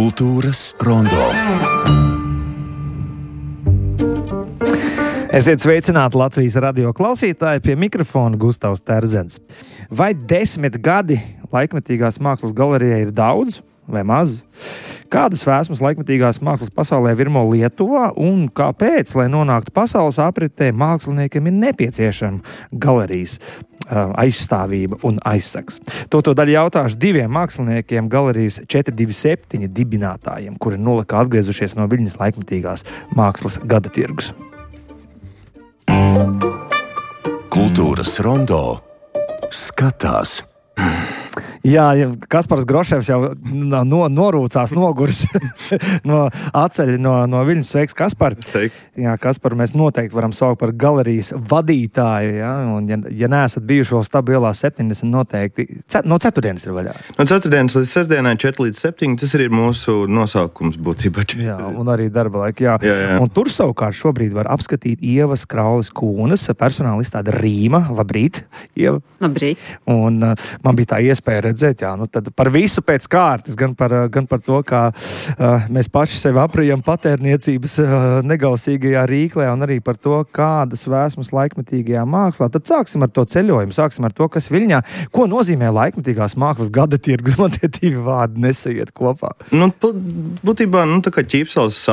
Kultūras rondo. Esiet sveicināti Latvijas radio klausītāji, pie mikrofona Gustavs Terzens. Vai 10 gadi laikmetīgās mākslas galerijai ir daudz vai maz? Kādas vēsmas laikmetīgās mākslas pasaulē virmo Lietuvā un kāpēc, lai nonāktu pasaules apritē, māksliniekiem ir nepieciešama galerijas aizstāvība un aizsaks? To daļu jautāšu diviem māksliniekiem, galerijas 427 dibinātājiem, kuri nolika atgriezušies no Viļņas laikmetīgās mākslas gada tirgus. Kultūras rondo skatās. Jā, Kaspars Groševs jau norūcās, nogurs no atceļa no Viļņas. Sveiks, Kaspar! Sveiki! Jā, Kaspar, mēs noteikti varam saukt par galerijas vadītāju, ja? Un ja neesat bijuši vēl stabilā 70, noteikti no ceturtdienas ir vaļā. No ceturtdienas līdz sestdienai 4 līdz 7, tas ir mūsu nosaukums būtībā. Jā, un arī darba laika, jā. Un tur savukārt šobrīd var apskatīt Ievas Kraules Kūnas personāla izstāde Rīma. Labrīt, Ieva! Labrīt! Un man bija tā iespēja redzēt, jā, tad par visu pēc kārtas, gan par to, kā mēs paši sevi aprijam patērniecības negausīgajā rīklē, un arī par to, kādas vēsmas laikmetīgajā mākslā. Tad sāksim ar to ceļojumu, sāksim ar to, kas Viļņā. Ko nozīmē laikmetīgās mākslas gada tirgus? Man tie divi vārdi nesaiet kopā. Būtībā, tā kā Ķīpsalas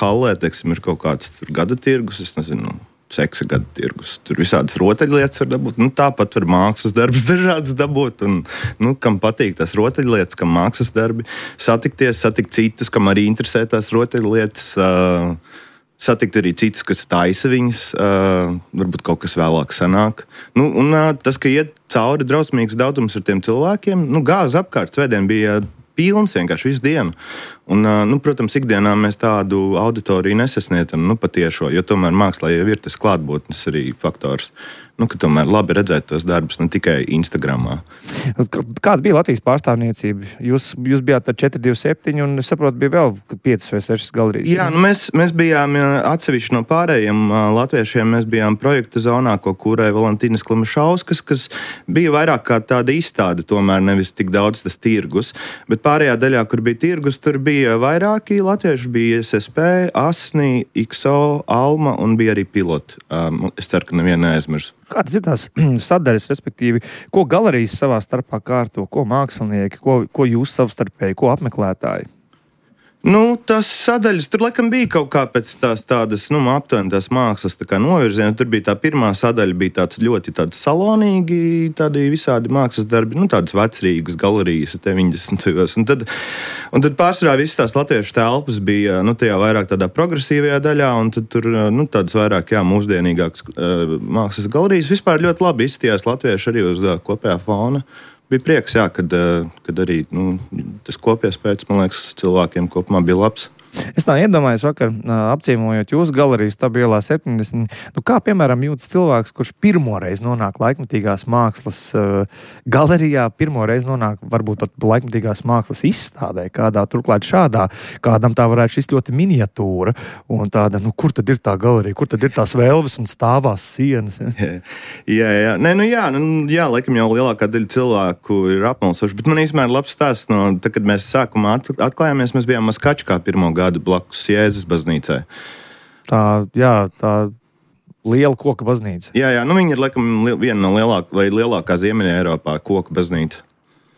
hallē, teiksim, ir kaut kāds gada tirgus, es nezinu, seksa gada tirgus. Tur visādas rotaļlietas var dabūt. Tāpat var mākslas darbus dažādas dabūt. Un, kam patīk tās rotaļlietas, kam mākslas darbi. Satikt citus, kam arī interesē tās rotaļlietas. Satikt arī citus, kas taisa viņas. Varbūt kaut kas vēlāk sanāk. Un tas, ka iet cauri drausmīgs daudzums ar tiem cilvēkiem, gāza apkārt. Svētdien bija pilns vienkārši visu dienu. Un, protams, ikdienā mēs tādu auditoriju nesasniedzam, patiešo, jo tomēr mākslā jau ir tas klātbūtnes arī faktors, ka tomēr labi redzēt tos darbus, ne tikai Instagramā. Kāda bija Latvijas pārstāvniecība? Jūs bijāt ar 427 un, es saprotu, bija vēl 5 vai 6 galerijas. Jā, mēs bijām atsevišķi no pārējiem latviešiem, mēs bijām projekta zonā, ko kūrēja Valentīnas Klimašauskas, kas bija vairāk kā tāda izstāde, tomēr nevis tik daudz tas tirgus, bet pārējā daļā, kur bija tirgus, tur bija vairāki latvieši, bija SSP, Asni, XO, Alma un bija arī Piloti. Es ceru, ka nevienu neaizmirsu. Kādas ir tās sadaļas, respektīvi, ko galerijas savā starpā kārto, ko mākslinieki, ko jūs savstarpēji, ko apmeklētāji? Tas sadaļas, tur laikam bija kaut kā pēc tādas, aptuveni tās mākslas novirziena. Tur bija tā pirmā sadaļa, bija tāds ļoti salonīgi, tādi visādi mākslas darbi, tādas vecrīgas galerijas 90. Un tad pārsvarā visas tās latviešu telpas bija, tajā vairāk tādā progresīvajā daļā, un tad tur, tādas vairāk, mūsdienīgākas mākslas galerijas. Vispār ļoti labi izstījās latvieši arī uz kopējā fona. Bija prieks, kad arī tas kopiespējas, man liekas, cilvēkiem kopumā bija labs. Es tā iedomājos vakar, apciemojot jūsu galeriju Stabilā 70, kā, piemēram, jūtas cilvēks, kurš pirmoreiz nonāk laikmetīgās mākslas galerijā, pirmoreiz nonāk varbūt pat laikmetīgās mākslas izstādē, kādā turklāt šādā, kādam tā varētu šis ļoti miniatūra, un tāda, kur tad ir tā galerija, kur tad ir tās velves un stāvās sienas? Jā. Jā, laikam jau lielākā daļa cilvēku ir apmalsoši, bet man īstenībā ir labs stāsts tad, kad mēs sākumā atklājāmies, mēs bijām Maskačkā pirmo gadu blakus Jēzus baznīcai. Tā liela koka baznīca. Jā, viņa ir laikam viena no lielākā Ziemeļa Eiropā koka baznīca.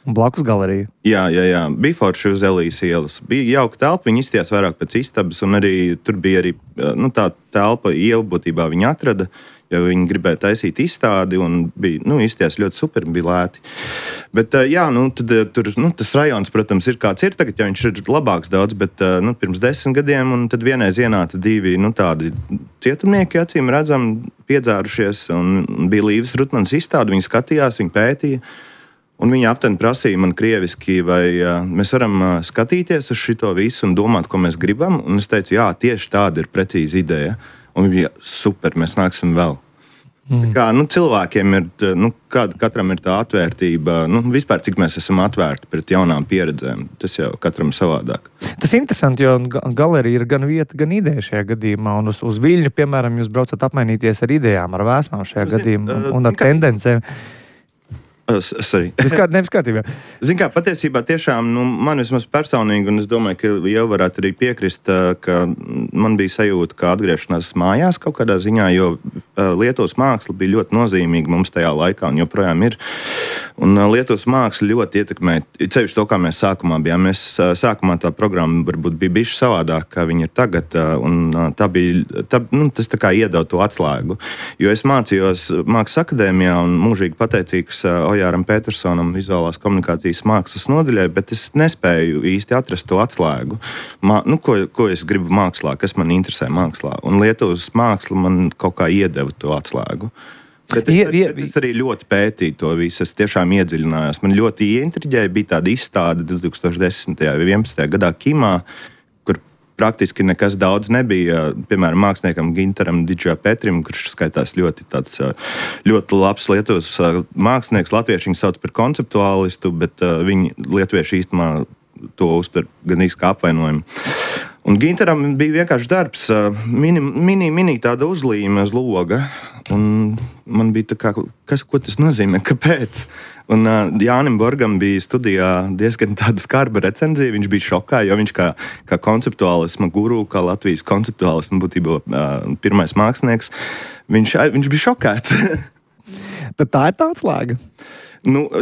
Un blakus galerija. Jā. Bija forši uz Elijas ielas. Bija jauka telpa, viņa izstījās vairāk pēc istabas, un arī tur bija arī tā telpa Ieva būtībā viņa atrada, jo viņi gribēja taisīt izstādi, un bija, izstījās ļoti super, bija lēti. Bet, tad tur, tas rajons, protams, ir kāds ir tagad, jo viņš ir labāks daudz, bet, pirms 10 gadiem, un tad vienreiz ienāca divi, tādi cietumnieki, acīm redzam, piedzārušies, un bija Līves Rutmanas izstāde, viņi skatījās, viņi pētīja, un viņi aptuveni prasīja man krieviski, vai mēs varam skatīties uz šito visu un domāt, ko mēs gribam, un es teicu, jā, tieši tāda ir precīza ideja. Un viņi bija super, mēs nāksim vēl. Tā kā, cilvēkiem ir, katram ir tā atvērtība, vispār cik mēs esam atvērti pret jaunām pieredzēm, tas jau katram savādāk. Tas interesanti, jo galerija ir gan vieta, gan ideja šajā gadījumā, un uz Viļņu, piemēram, jūs braucat apmainīties ar idejām, ar vēsmām šajā gadījumā un ar tendencēm. Nevis kārtībā. Zin kā, patiesībā tiešām, man vismaz personīgi, un es domāju, ka jau varētu arī piekrist, ka man bija sajūta, ka atgriešanās mājās kaut kādā ziņā, jo Lietuvas māksla bija ļoti nozīmīga mums tajā laikā, un joprojām ir. Un Lietuvas māksla ļoti ietekmē, ceļš to, kā mēs sākumā bijām. Mēs sākumā tā programma varbūt bija bišķi savādāk, kā viņa ir tagad, un tas tā kā iedod to atslēgu. Jo es mācījos Mākslas akadēmijā un mūžīgi pateicīgs Ojāram Petersonam vizuālās komunikācijas mākslas nodaļai, bet es nespēju īsti atrast to atslēgu. Ko es gribu mākslā, kas man interesē mākslā. Un Lietuvas māksla man kaut kā iedeva to atslēgu. Bet es arī ļoti pētīju to visu, es tiešām iedziļinājos. Man ļoti ieintriģēja, bija tāda izstāde 2010. vai 2011. gadā Kimā, kur praktiski nekas daudz nebija. Piemēram, māksliniekam Gintaram Didžā-Petrim, kurš skaitās ļoti labs Lietuvas mākslinieks. Latvieši viņu sauc par konceptuālistu, bet viņi lietuvieši īstenībā to uztver gan īsti kā apvainojumu. Un Gintaram bija vienkārši darbs, mini tāda uzlīme uz loga. Un man bija tā kā, ko tas nozīmē, kāpēc? Un Jānim Borgam bija studijā diezgan tāda skarba recenzija. Viņš bija šokā, jo viņš kā konceptuālisma guru, kā Latvijas konceptuālisma būtībā pirmais mākslinieks, viņš bija šokēts. Tad tā ir tā atslēga.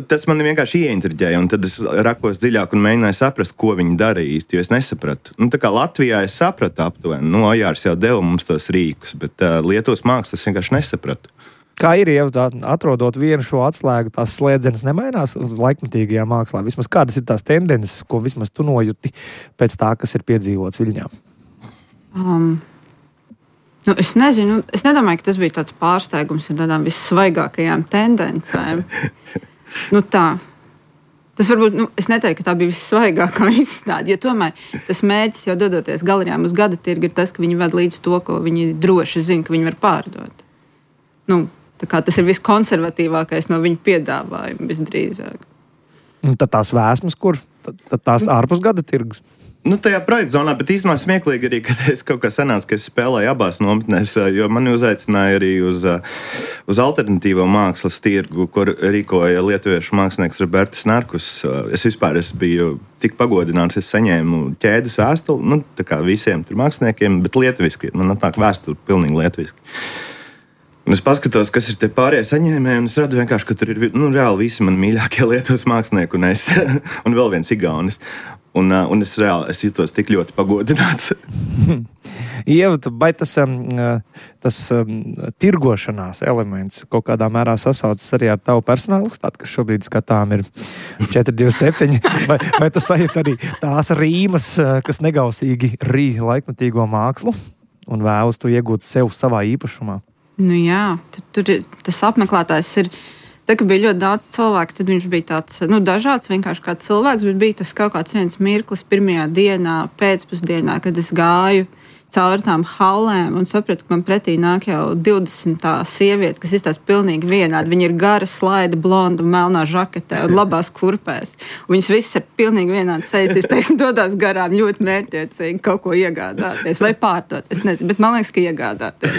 Tas man vienkārši ieintriģēja, un tad es rakos dziļāk un mēģināju saprast, ko viņi darīja īsti, jo es nesapratu. Tā kā Latvijā es sapratu aptuveni, Ojārs jau deva mums tos rīkus, bet Lietuvas mākslas vienkārši nesapratu. Kā ir, ja atrodot vienu šo atslēgu, tās slēdzenes nemainās laikmetīgajā mākslā? Vismaz kādas ir tās tendences, ko vismaz tu nojuti pēc tā, kas ir piedzīvots Viļņā? Es nezinu, es nedomāju, ka tas bija tāds pārsteigums ar tādām vissvaigākajām tendencēm. Tā. Tas varbūt, es neteiktu, ka tā bija vissvaigākā izstāde, jo tomēr tas mērķis jau dodoties galerijām uz gada tirgu ir tas, ka viņi ved līdz to, ko viņi droši zina, ka viņi var pārdot. Tā kā tas ir viskonservatīvākais no viņu piedāvājuma visdrīzāk. Un tad tās vēsmas, kur? Tad tās ārpus gada tirgus? Tajā projekta zonā, bet īstenībā smieklīgi arī, kad es kaut kā sanācu, ka es spēlēju abās nometnēs, jo mani uzaicināja arī uz alternatīvo mākslas tirgu, kur rīkoja lietuviešu mākslinieks Robertis Narkus. Es biju tik pagodināts, es saņēmu ķēdes vēstuli, tā kā visiem tur māksliniekiem, bet lietuviski. Man atnāk vēstuli pilnīgi lietuviski. Un es paskatos, kas ir tie pārējie saņēmēji, un es redzu vienkārši, ka tur ir reāli visi mani mīļākie Lietuvas mākslinieki un es, un vēl viens igaunis. Un es jutos tik ļoti pagodināts. Ieva, vai tas tirgošanās elements kaut kādā mērā sasaucas arī ar tavu personalitāti, kas šobrīd skatām ir 427, vai tu sajūti arī tās rīmas, kas negausīgi rī laikmetīgo mākslu un vēlas tu iegūt sev savā īpašumā? Jā, tur tas apmeklētājs ir. Tā, ka bija ļoti daudz cilvēku, tad viņš bija tāds dažāds, vienkārši kā cilvēks, bet bija tas kaut kāds viens mirklis pirmajā dienā, pēcpusdienā, kad es gāju cauri tām hallēm un sapratu, ka man pretī nāk jau 20 sieviete, kas izstās pilnīgi vienādi. Viņa ir gara, slaida, blonda, melnā žaketē un labās kurpēs. Un viņas visas ir pilnīgi vienādi sejas izteiksmi, dodās garām ļoti mērķtiecīgi kaut ko iegādāties vai pārdot. Es nezinu, bet man liekas, ka iegādāties.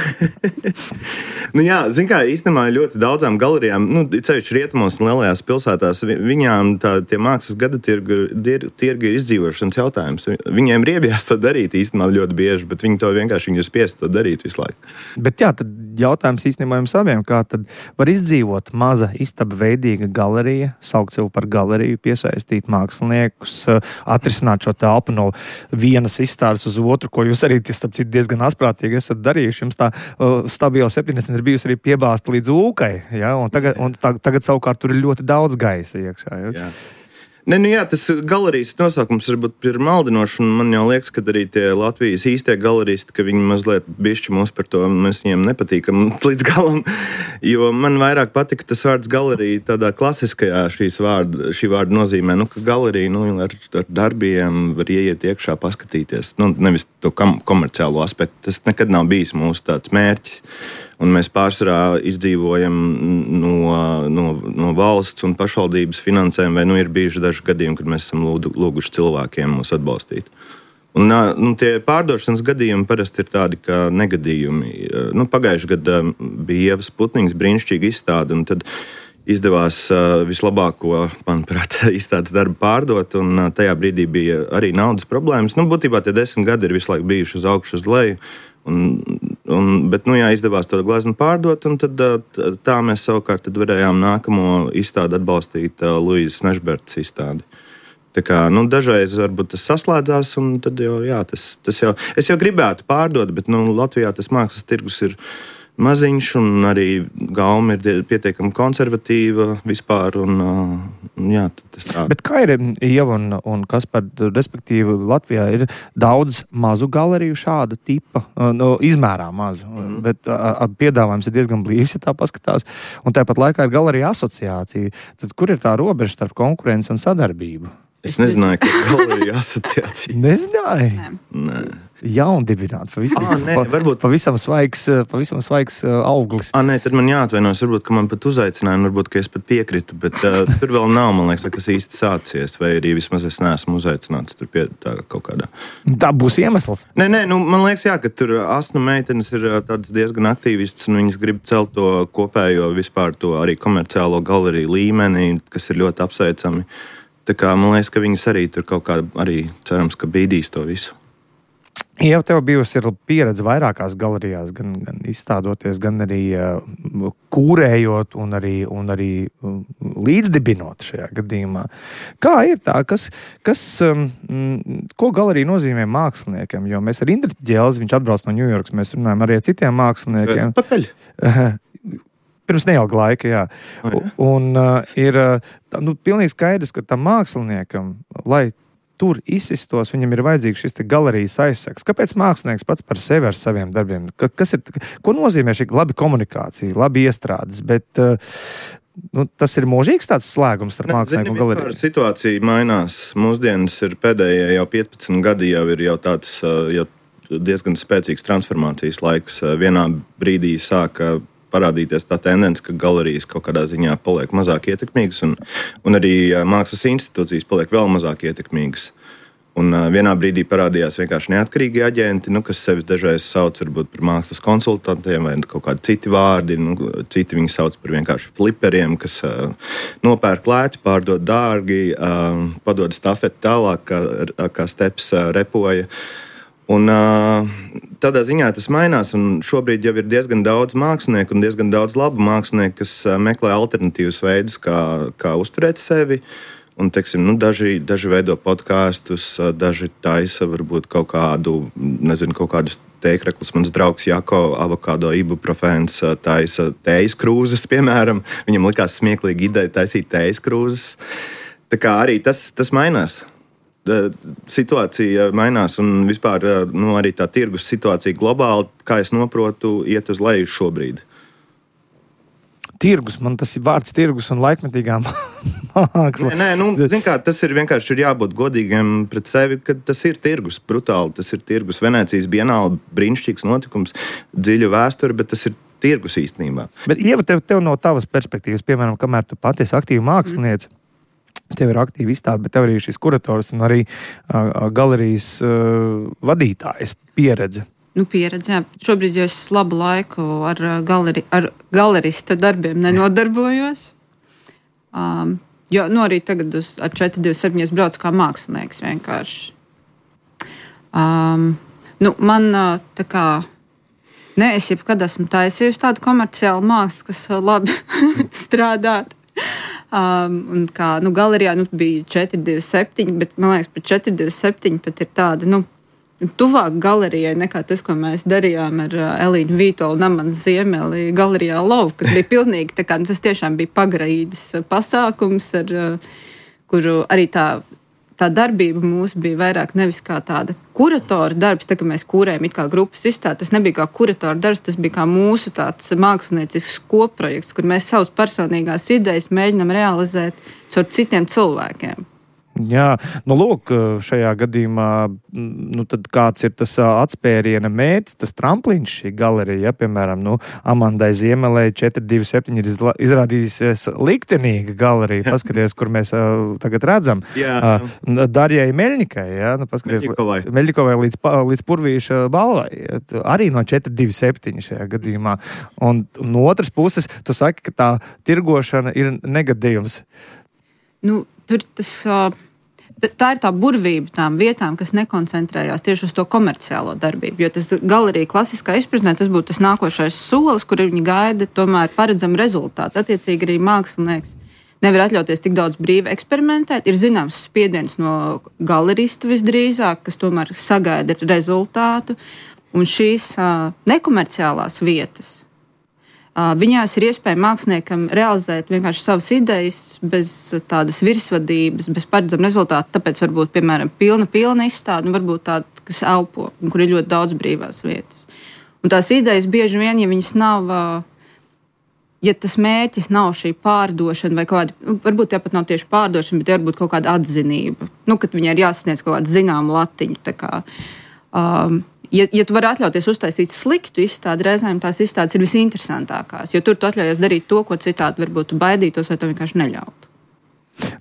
Jā, zin kā, īstenībā ļoti daudzām galerijām, ceļš rietumos un lielajās pilsētās, viņām tie mākslas gada tirgi ir izdzīvošanas jautājums. Viņiem ir iebijās to darīt īstenībā ļoti bieži, bet viņi ir spiesti to darīt visu laiku. Bet jā, tad jautājums īstenībā jums abiem, kā tad var izdzīvot maza istaba veidīga galerija, saukt sev par galeriju, piesaistīt māksliniekus, atrisināt šo telpu no vienas izstādes uz otru, ko jūs arī diezgan asprātīgi esat darījuši. Jums tā stabila 70 ir bijusi arī piebāzta līdz ūkai, ja? un tagad savukārt tur ir ļoti daudz gaisa iekšā. Ja? Jā, tas galerijas nosaukums varbūt ir maldinošs, un man jau liekas, ka arī tie Latvijas īstie galeristi, ka viņi mazliet bišķi mums par to, mēs viņiem nepatīkam līdz galam, jo man vairāk patika tas vārds galerija tādā klasiskajā šī vārda nozīmē, ka galerija ar darbiem var ieiet iekšā, paskatīties, nevis to komerciālo aspektu, tas nekad nav bijis mūsu tāds mērķis. Un mēs pārsvarā izdzīvojam no valsts un pašvaldības finansēm, vai ir bijuši daži gadījumi, kad mēs esam lūguši cilvēkiem mūs atbalstīt. Un tie pārdošanas gadījumi parasti ir tādi kā negadījumi. Pagājuši gadā bija Ievas Putniņas brīnišķīga izstāde, un tad izdevās vislabāko, manuprāt, izstādes darbu pārdot, un tajā brīdī bija arī naudas problēmas. Būtībā tie 10 gadi ir visu laiku bijuši uz augšu, uz leju, bet, izdevās to gleznu pārdot, un tad tā mēs savukārt varējām nākamo izstādi atbalstīt Luīzes Nešbertas izstādi. Tā kā, dažreiz varbūt tas saslēdzās, un tad jau, es jau gribētu pārdot, bet, Latvijā tas mākslas tirgus ir maziņš, un arī gauma ir pietiekami konservatīva vispār, tas tā. Bet kā ir, Ieva un Kaspar, respektīvi Latvijā ir daudz mazu galeriju šāda tipa, izmērā mazu, bet piedāvājums ir diezgan blīvs, ja tā paskatās, un tāpat laikā ir galerija asociācija. Tad kur ir tā robeža starp konkurenci un sadarbību? Es nezināju, ka galerija asociācija. Nezināju? Nē. Jaundibināt, pavisam svaigs auglis. Nē, tad man jāatvainojas, varbūt, ka man pat uzaicināja, varbūt, ka es pat piekritu, bet tur vēl nav, man liekas, kas īsti sācies, vai arī vismaz es neesmu uzaicināts tur pie tā kaut kādā. Tā būs iemesls? Nē, man liekas, ka tur asnu meitenes ir tādas diezgan aktīvistas, un viņas grib celt to kopējo vispār to arī komerciālo galeriju līmeni, kas ir ļoti apsveicami. Tā kā man liekas, ka viņas arī tur kaut kā arī cerams, ka bīdīs to visu. Ieva, tev bijusi pieredze vairākās galerijās, gan izstādoties, gan arī kūrējot un arī līdzdibinot šajā gadījumā. Kā ir tā? Ko galerija nozīmē māksliniekiem? Jo mēs ar Indriķu Ģelzi, viņš atbrauc no Ņujorkas, mēs runājam arī ar citiem māksliniekiem. Pakaļ? Pirms neilga laika, jā. Un ir pilnīgi skaidrs, ka tam māksliniekam, lai tur izsistos, viņam ir vajadzīgs šis galerijas aizsaks. Kāpēc mākslinieks pats par sevi ar saviem darbiem? Ko nozīmē šī labi komunikācija, labi iestrādes, bet tas ir mūžīgs tāds slēgums starp mākslinieku un galeriju? Situācija mainās. Mūsdienas ir pēdējie jau 15 gadi, jau ir tāds diezgan spēcīgs transformācijas laiks. Vienā brīdī sāka parādīties tā tendence, ka galerijas kaut kādā ziņā paliek mazāk ietekmīgas, un arī mākslas institūcijas paliek vēl mazāk ietekmīgas. Un vienā brīdī parādījās vienkārši neatkarīgi aģenti, kas sevi dažreiz sauc varbūt par mākslas konsultantiem vai kaut kādi citi vārdi. Citi viņi sauc par vienkārši fliperiem, kas nopērk lēti, pārdod dārgi, padod stafeti tālāk, kā Steps repoja. Un tādā ziņā tas mainās, un šobrīd jau ir diezgan daudz mākslinieku un diezgan daudz labu mākslinieku, kas meklē alternatīvus veidus, kā uzturēt sevi. Un, teiksim, daži veido podkāstus, daži taisa varbūt kaut kādus tēkreklus. Mans draugs Jako avokado ibuprofēns taisa tējas krūzes, piemēram. Viņam likās smieklīgi ideja taisīt tējas krūzes. Tā kā arī tas mainās. Situācija mainās, un vispār arī tā tirgus situācija globāli, kā es noprotu, iet uz leju šobrīd. Tirgus, man tas ir vārds tirgus un laikmetīgā māksla. Nē, tas ir vienkārši jābūt godīgiem pret sevi, ka tas ir tirgus, brutāli, tas ir tirgus. Venēcijas bienāle, brīnišķīgs notikums, dziļa vēsture, bet tas ir tirgus īstenībā. Bet, Ieva, tev no tavas perspektīvas, piemēram, kamēr tu pati esi aktīva māksliniece, tev ir aktīva izstāde, bet tev arī šis kurators un arī galerijas vadītājas pieredze. Pieredze, jā. Šobrīd jau es labu laiku ar galerista darbiem nenodarbojos. Jo arī tagad ar 427 es braucu kā mākslinieks vienkārši. Man tā kā es jebkad esmu taisījusi tādu komerciālu mākslu, kas labi strādāt. Un kā galerijā bija 427, bet man liekas, pat 427 pat ir tāda, tuvāk galerijai nekā tas, ko mēs darījām ar Elīnu Vītolu un Amanas Ziemeli galerijā Love, kas bija pilnīgi tā kā, tas tiešām bija pagraīdas pasākums, kuru arī tā darbība mūsu bija vairāk nevis kā tāda kuratora darbs, tā kā mēs kūrējam it kā grupas izstādi, tas nebija kā kuratora darbs, tas bija kā mūsu tāds māksliniecisks kopprojekts, kur mēs savas personīgās idejas mēģinam realizēt caur citiem cilvēkiem. Jā, lūk, šajā gadījumā, tad kāds ir tas atspēriena mērķis, tas tramplīns šī galerija, piemēram, Amandai Ziemelei 427 ir izrādījusies liktenīga galerija, paskaties, kur mēs tagad redzam. Darjai Meļņikai, Meļņikovai līdz Purvīša balvai, arī no 427 šajā gadījumā. Un no otras puses, tu saki, ka tā tirgošana ir negadījums. Tā ir tā burvība tām vietām, kas nekoncentrējās tieši uz to komerciālo darbību. Jo tas galerija klasiskā izpratnē, tas būtu tas nākošais solis, kur viņi gaida tomēr paredzam rezultātu. Attiecīgi arī mākslinieks nevar atļauties tik daudz brīvi eksperimentēt. Ir zināms spiediens no galerista visdrīzāk, kas tomēr sagaida rezultātu. Un šīs nekomerciālās vietas, viņās ir iespēja māksliniekam realizēt vienkārši savas idejas bez tādas virsvadības, bez paredzama rezultāta. Tāpēc varbūt, piemēram, pilna izstāde, varbūt tāda, kas elpo, un kur ir ļoti daudz brīvās vietas. Un tās idejas bieži vien, ja viņas nav, ja tas mērķis nav šī pārdošana vai kaut kāda, varbūt tāpat nav tieši pārdošana, bet varbūt kaut kāda atzinība, kad viņai ir jāsasniedz kaut kāda zināma latiņa, tā kā... Ja tu vari atļauties uztaisīt sliktu izstādi, reizēm tās izstādes ir visinteresantākās, jo tur tu atļaujies darīt to, ko citādi varbūt tu baidītos vai tu vienkārši neļautu.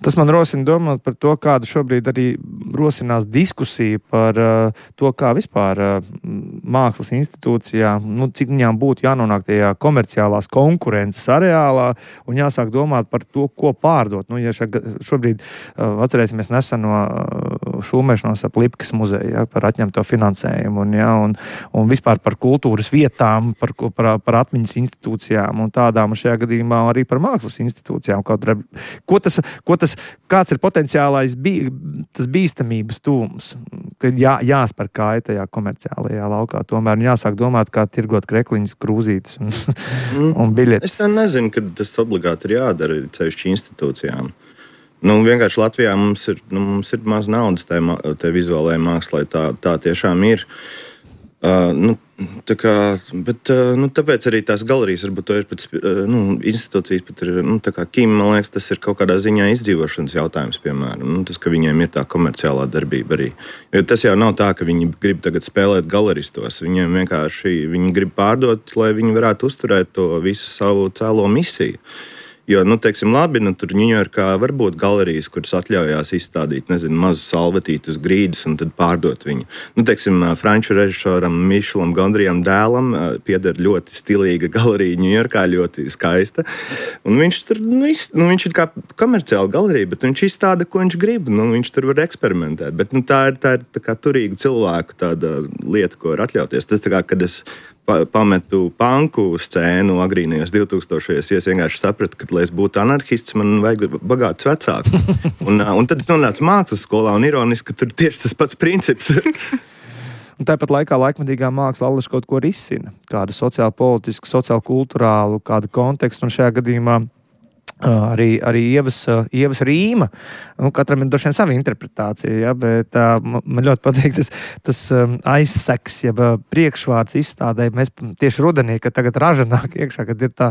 Tas man rosina domāt par to, kāda šobrīd arī rosinās diskusija par to, kā vispār mākslas institūcijā, cik viņām būtu jānonāk tajā komerciālās konkurences areālā un jāsāk domāt par to, ko pārdot. Ja šobrīd atcerēsimies neseno šūmēšanos ap Lipkas muzeju, par atņemto finansējumu un vispār par kultūras vietām, par atmiņas institūcijām un tādām, un šajā gadījumā arī par mākslas institūcijām. Kāds ir potenciālais tas bīstamības tūms, kad jāspēr kāja tajā komerciālajā laukā, tomēr jāsāk domāt, kā tirgot krekliņas, krūzītes un biļetes. Es nezinu, ka tas obligāti ir jādara ceļšķi institūcijām. Vienkārši Latvijā mums ir maz naudas tai vizuālajai mākslai, tā tiešām ir. Tāpēc arī tās galerijas varbūt to ir pēc institūcijas pat ir, tā kā Kim, man liekas, tas ir kaut kādā ziņā izdzīvošanas jautājums, piemēram. Tas, ka viņiem ir tā komerciālā darbība arī. Jo tas jau nav tā, ka viņi grib tagad spēlēt galeristos. Viņiem vienkārši, viņi grib pārdot, lai viņi varētu uzturēt to visu savu cēlo misiju. Jo, teiksim, labi, tur Ņujorkā var būt galerijas, kuras atļaujās izstādīt, mazu salvetītu uz grīdas un tad pārdot viņu. Teiksim, franču režisoram Mišelam Gondrijam dēlam pieder ļoti stilīga galerija Ņujorkā, ļoti skaista. Un viņš tur, viņš ir kā komerciāla galerija, bet viņš izstāda, ko viņš grib. Viņš tur var eksperimentēt. Bet tā ir tā kā turīga cilvēku tāda lieta, ko var atļauties. Tas tā kā, kad es pametu panku scēnu agrīnajos 2000-ajos, es vienkārši sapratu, ka, lai es būtu anarhists, man vajag bagātus vecākus. Un tad es nonācu mākslas skolā, un ironiski, ka tur tieši tas pats princips. Un tāpat laikā laikmatīgā māksla allaž kaut ko risina, kādu sociāli politisku, sociāli kulturālu, kādu kontekstu, un šajā gadījumā arī Ievas rīma. Katram ir droši vien sava interpretācija, bet man ļoti patīk tas aizseks, jeb priekšvārds izstādē. Mēs tieši rudenī, kad tagad raža nāk iekšā, kad ir tā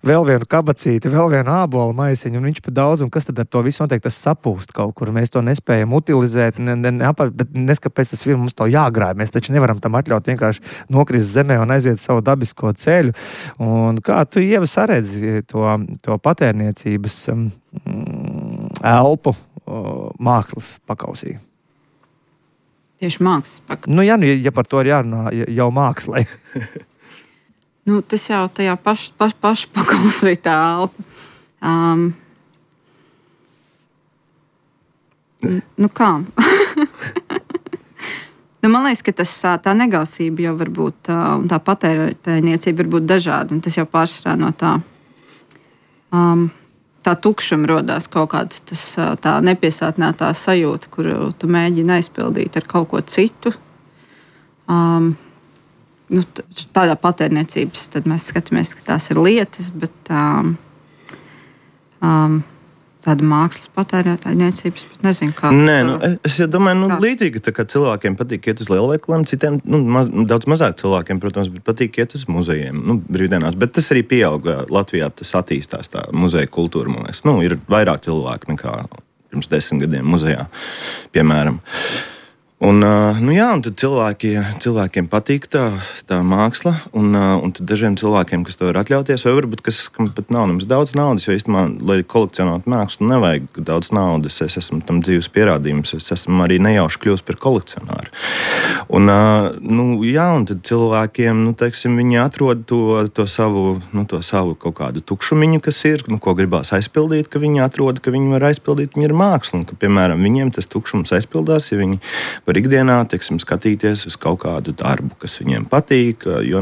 vēl vienu kabacīti, vēl vienu ābolu maisiņu, un viņš pa daudz, un kas tad ar to visu noteikti tas sapūst kaut kur. Mēs to nespējam utilizēt, bet neskapēc tas mums to jāgrāj. Mēs taču nevaram tam atļaut vienkārši nokrist zemē un aiziet savu dabisko ceļu. Un kā tu, Ieva, saredzi to patērniecības elpu mākslas pakausī? Tieši mākslas pakausī. Ja par to ir jārunā jau mākslai. Tas jau tajā paša pakausī tā elpa. Kā? Man liekas, ka tā negausība jau var būt, un tā patērniecība var būt dažāda, un tas jau pārsvarā no tā tukšuma rodās kaut kāds tā nepiesātinātā sajūta, kuru tu mēģini aizpildīt ar kaut ko citu. Tādā patērniecības tad mēs skatāmies, ka tās ir lietas, bet tāda mākslas patērniecības, bet nezinu, kā. Es domāju, līdzīgi, tā kā cilvēkiem patīk iet uz lielveikaliem, citiem, daudz mazāk cilvēkiem, protams, bet patīk iet uz muzejiem, brīvdienās, bet tas arī pieauga Latvijā, tas attīstās tā muzeja kultūra, man liekas. Ir vairāk cilvēku nekā pirms 10 gadiem muzejā, piemēram. Un tad cilvēkiem patīk tā māksla, un tad dažiem cilvēkiem, kas to var atļauties, vai varbūt kam pat nav nemaz daudz naudas, jo īstenībā, lai kolekcionētu mākslu, nevajag daudz naudas. Es esmu tam dzīves pierādījums, es esmu arī nejauši kļūst par kolekcionāru. Un tad cilvēkiem, teiksim, viņi atrod to savu kaut kādu tukšumiņu, kas ir, ko gribās aizpildīt, ka viņi atrod, ka viņi var aizpildīt, viņi ir māksla, un ka, piemēram, viņiem tas tukšums aizpildās, ja viņi var ikdienā, teiksim, skatīties uz kaut kādu darbu, kas viņiem patīk, jo,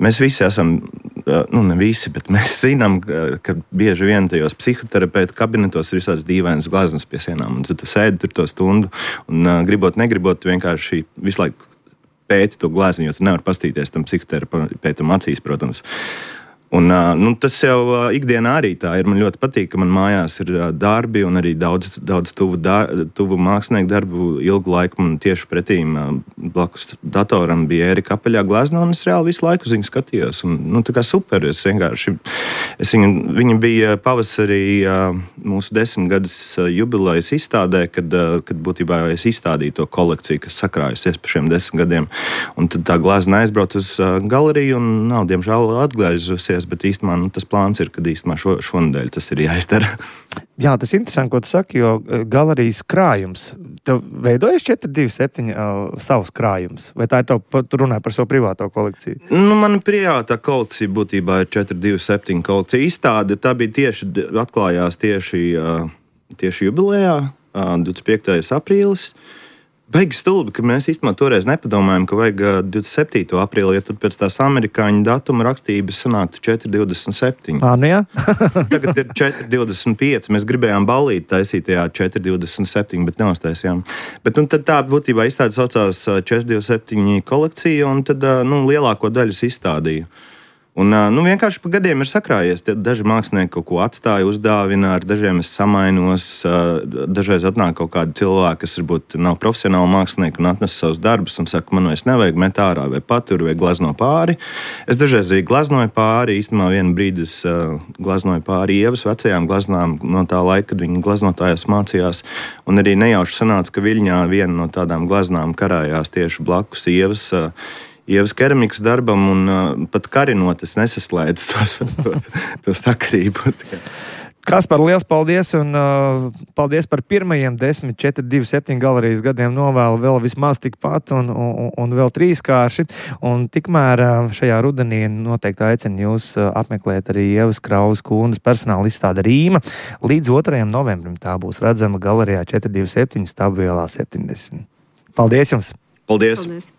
mēs visi esam, ne visi, bet mēs zinām, ka bieži vien tajos psihoterapeitu kabinetos ir visāds dīvainas gleznas pie sienām, un tad tu sēdi tur to stundu, un negribot, tu vienkārši visu laiku pēti to glezni, jo tu nevari pastīties tam psihoterapeitam acīs, protams. Un, tas jau ikdienā arī tā ir. Man ļoti patīk, ka man mājās ir darbi un arī daudz tuvu mākslinieku darbu. Ilgu laiku man tieši pretīm blakus datoram bija Ērika apaļā glezna, un es reāli visu laiku uz viņu skatījos. Un, tā kā super. Viņa bija pavasarī mūsu 10 gadus jubilejas izstādē, kad būtībā es izstādīju to kolekciju, kas sakrājusies par šiem 10 gadiem. Un tad tā glezna aizbrauc uz galeriju un nav, diemžēl, atgriezusies. Bet īstenībā tas plāns ir, kad īstenībā šonadēļ tas ir jāizdara. Jā, tas ir interesanti, ko tu saki, jo galerijas krājums, tev veidojas 427 savs krājums, vai tā ir tu runāji par savu privāto kolekciju? Mana privātā kolekcija būtībā ir 427 kolekcija. Izstāde, tā bija atklājās tieši jubilejā, 25. aprīlis. Baigi stulbi, ka mēs īstenībā toreiz nepadomājam, ka vajag 27. aprīli, ja tur pēc tās amerikāņu datuma rakstības sanāktu 4.27. Jā. Tagad ir 4.25. Mēs gribējām ballīt taisīt tajā 4.27, bet neuztaisījām. Bet tad tā būtībā izstāde saucās 427 kolekcija, un tad lielāko daļu izstādīju. Un vienkārši pa gadiem ir sakrājies. Daži mākslinieki kaut ko atstāja, uzdāvina, ar dažiem es samainos. Dažreiz atnāk kaut kādi cilvēki, kas varbūt nav profesionāli mākslinieki un atnes savus darbus un saka, man vairs nevajag met ārā vai patur vai glezno pāri. Es dažreiz arī gleznoju pāri. Īstenībā vienu brīdi es gleznoju pāri Ievas vecajām gleznām no tā laika, kad viņa gleznotājās mācījās. Un arī nejauši sanāca, ka Viļņā viena no tādām gleznām karājās tieši blakus Ievas keramikas darbam, un pat karinot es nesaslēdzu to sakarību. Kaspar, liels paldies, un paldies par pirmajiem 10, 4, 2, 7 galerijas gadiem. Novēlu vēl vismaz tikpat un vēl 3kārši. Un tikmēr šajā rudenī noteikti aicinu jūs apmeklēt arī Ievas Krauzes Kūnas personāla izstāde Rīma. Līdz 2. novembrim tā būs redzama galerijā 427 Stabu ielā 70. Paldies jums! Paldies! Paldies.